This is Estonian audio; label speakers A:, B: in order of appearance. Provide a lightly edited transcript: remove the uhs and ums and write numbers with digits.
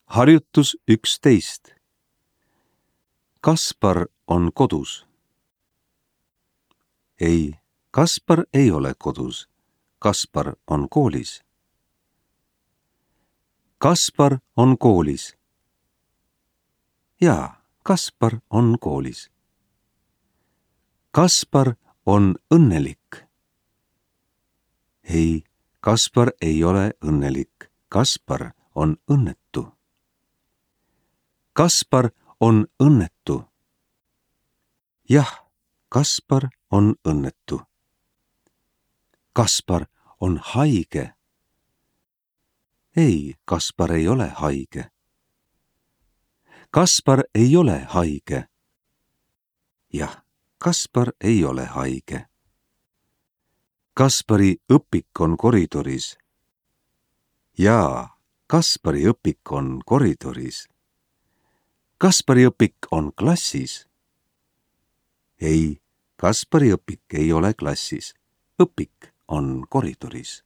A: Harjutus 11. Kaspar on kodus. Ei, Kaspar ei ole kodus. Kaspar on koolis. Kaspar on koolis. Jaa, Kaspar on koolis. Kaspar on õnnelik. Ei, Kaspar ei ole õnnelik. Kaspar on õnnetu. Kaspar on õnnetu. Jah, Kaspar on õnnetu. Kaspar on haige. Ei, Kaspar ei ole haige. Kaspar ei ole haige. Jah, Kaspar ei ole haige. Kaspari õpik on koridoris. Jaa, Kaspari õpik on koridoris. Kaspari õpik on klassis. Ei, Kaspari õpik ei ole klassis. Õpik on koridoris.